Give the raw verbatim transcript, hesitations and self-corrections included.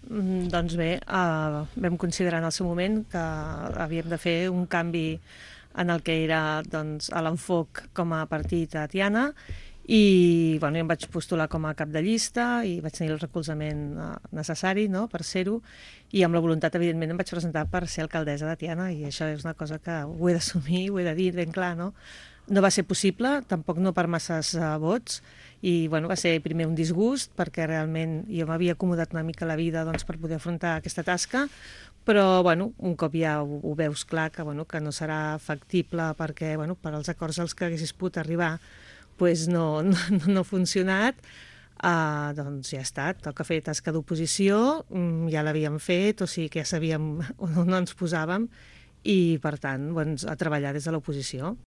Mm, Doncs bé, eh, vam considerar en el seu moment que havíem de fer un canvi en el que era doncs, a l'enfoc com a partit a Tiana i bueno, jo em vaig postular com a cap de llista i vaig tenir el recolzament eh, necessari, no?, per ser-ho, i amb la voluntat, evidentment, em vaig presentar per ser alcaldessa de Tiana, i això és una cosa que ho he d'assumir, ho he de dir ben clar, no? No va ser possible, tampoc no per masses uh, vots, i bueno, va ser primer un disgust, perquè realment jo m'havia acomodat una mica la vida doncs, per poder afrontar aquesta tasca, però bueno, un cop ja ho, ho veus clar que, bueno, que no serà factible perquè bueno, per als acords als que haguessis pogut arribar pues no, no, no ha funcionat, uh, doncs ja està, toca fer tasca d'oposició, um, ja l'havíem fet, o sigui que ja sabíem on ens posàvem, i per tant doncs, a treballar des de l'oposició.